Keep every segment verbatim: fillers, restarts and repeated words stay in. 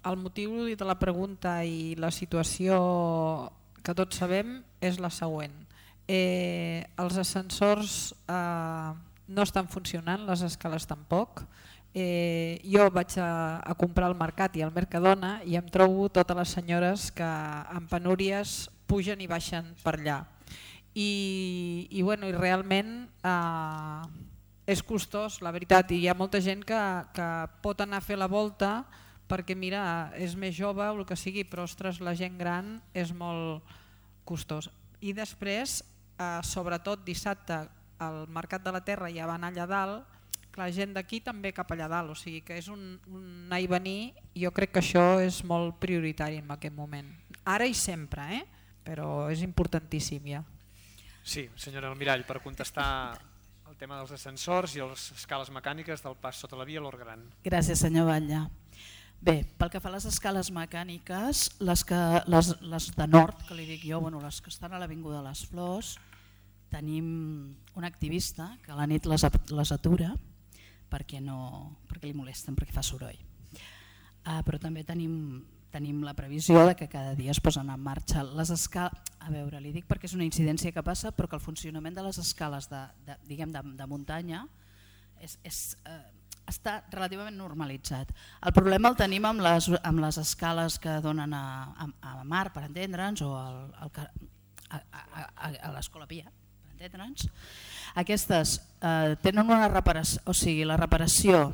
el motiu de la pregunta i la situació que tots sabem és la següent. Eh, els ascensors eh, no estan funcionant, les escales tampoc. Eh, jo vaig a, a comprar al mercat i al Mercadona i em trobo totes les senyores que amb penúries pugen i baixen per allà. I, i, bueno, i realment eh, és costós, la veritat, i hi ha molta gent que, que pot anar a fer la volta perquè mira, és més jove o el que sigui, però ostres, la gent gran és molt costós. I després, eh, sobretot dissabte, al Mercat de la Terra ja van allà dalt, la gent d'aquí també cap allà dalt, o sigui que és un, un anar i venir, i jo crec que això és molt prioritari en aquest moment. Ara i sempre, eh? Però és importantíssim ja. Sí, senyora Almirall, per contestar el tema dels ascensors i les escales mecàniques del pas sota la via l'Hort Gran. Gràcies, senyor Batlle. Bé, pel que fa a les escales mecàniques, les, que, les, les de nord, que li dic jo, bueno, les que estan a l'Avinguda de les Flors, tenim un activista que a la nit les, les atura perquè, no, perquè li molesten, perquè fa soroll. Uh, però també tenim, tenim la previsió de que cada dia es posen en marxa les escales. A veure, li dic perquè és una incidència que passa, però que el funcionament de les escales de, de, diguem, de, de muntanya és... és uh, està relativament normalitzat. El problema el tenim amb les, amb les escales que donen a, a, a mar, per entendre'ns, o al, al, a, a, a, a l'Escola Pia, per entendre'ns. Aquestes eh, tenen una reparació, o sigui, la reparació,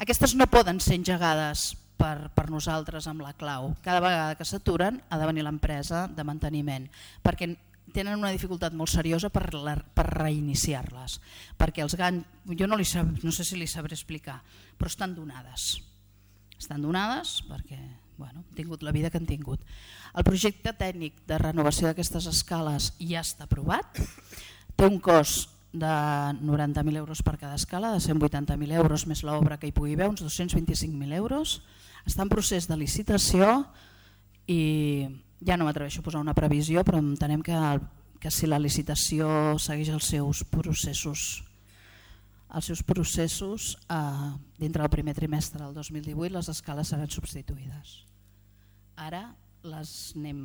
aquestes no poden ser engegades per, per nosaltres amb la clau. Cada vegada que s'aturen ha de venir l'empresa de manteniment, perquè tenen una dificultat molt seriosa per, la, per reiniciar-les, perquè els ganys, jo no, li sab, no sé si li sabré explicar, però estan donades. Estan donades perquè bueno, han tingut la vida que han tingut. El projecte tècnic de renovació d'aquestes escales ja està aprovat, té un cost de noranta mil euros per cada escala, de cent vuitanta mil euros més l'obra que hi pugui haver, uns dos-cents vint-i-cinc mil euros, està en procés de licitació i ja no m'atreveixo a posar una previsió, però entenem que, que si la licitació segueix els seus processos, els seus processos eh, dintre del primer trimestre del dos mil divuit les escales seran substituïdes. Ara les anem,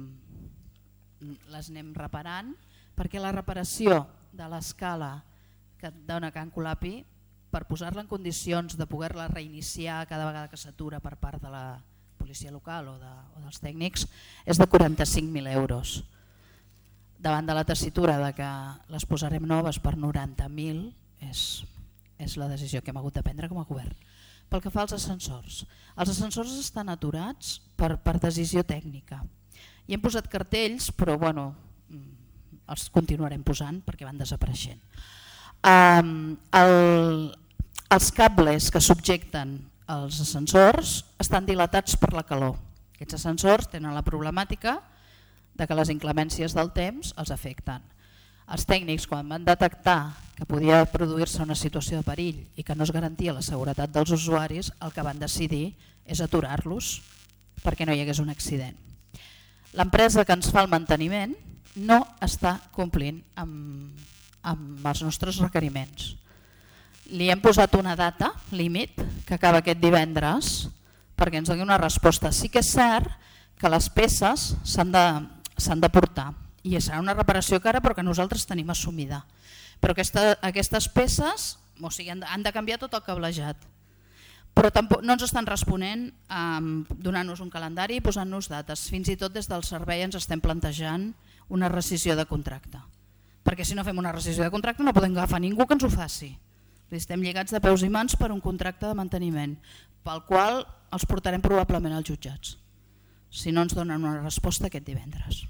les anem reparant perquè la reparació de l'escala que et dona Can Colapi, per posar-la en condicions de poder-la reiniciar cada vegada que s'atura per part de la policia local o, de, o dels tècnics, és de quaranta-cinc mil euros. Davant de la tessitura de que les posarem noves per noranta mil, és, és la decisió que hem hagut de prendre com a govern. Pel que fa als ascensors, els ascensors estan aturats per, per decisió tècnica. I hem posat cartells, però bueno, els continuarem posant perquè van desapareixent. Um, el, els cables que subjecten els ascensors estan dilatats per la calor. Aquests ascensors tenen la problemàtica de que les inclemències del temps els afecten. Els tècnics, quan van detectar que podia produir-se una situació de perill i que no es garantia la seguretat dels usuaris, el que van decidir és aturar-los perquè no hi hagués un accident. L'empresa que ens fa el manteniment no està complint amb, amb els nostres requeriments. Li hem posat una data límit que acaba aquest divendres perquè ens doni una resposta. Sí que és cert que les peces s'han de, s'han de portar i serà una reparació cara però que nosaltres tenim assumida. Però aquesta, aquestes peces o sigui, han, de, han de canviar tot el cablejat. Però tampoc, no ens estan responent um, donant-nos un calendari i posant-nos dates. Fins i tot des del servei ens estem plantejant una rescissió de contracte. Perquè si no fem una rescissió de contracte no podem agafar ningú que ens ho faci. Estem lligats de peus i mans per un contracte de manteniment, pel qual els portarem probablement als jutjats, si no ens donen una resposta aquest divendres.